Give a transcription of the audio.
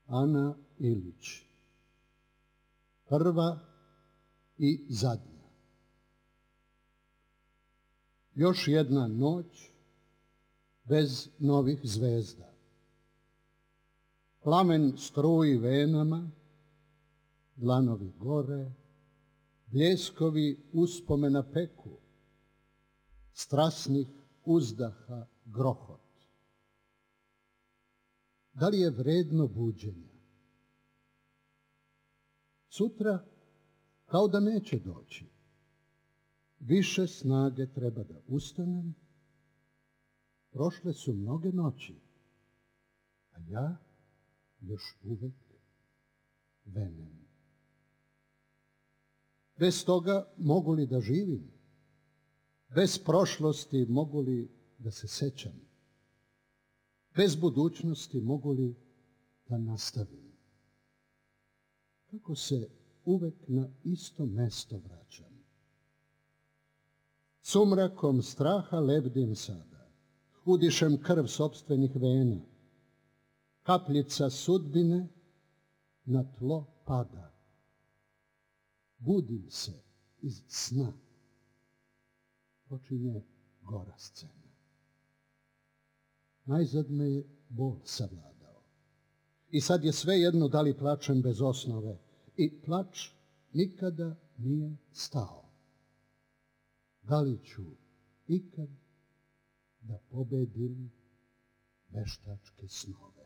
Ana Ilić. Prva i zadnja. Još jedna noć bez novih zvezda. Plamen struji venama, dlanovi gore, bljeskovi uspomena peku, strasnih uzdaha grohot. Da li je vredno buđenja? Sutra kao da neće doći. Više snage treba da ustanem. Prošle su mnoge noći, a ja još uvek venem. Bez toga mogu li da živim? Bez prošlosti mogu li da se sećam? Bez budućnosti mogu li da nastavim? Kako se uvek na isto mesto vraćam? Sumrakom straha lebdim sada, udišem krv sopstvenih vena. Kapljica sudbine na tlo pada. Budim se iz sna. Počinje gora scena. Najzad me je bol savladao. I sad je sve jedno da li plačem bez osnove. I plač nikada nije stao. Da li ću ikad da pobedim veštačke snove?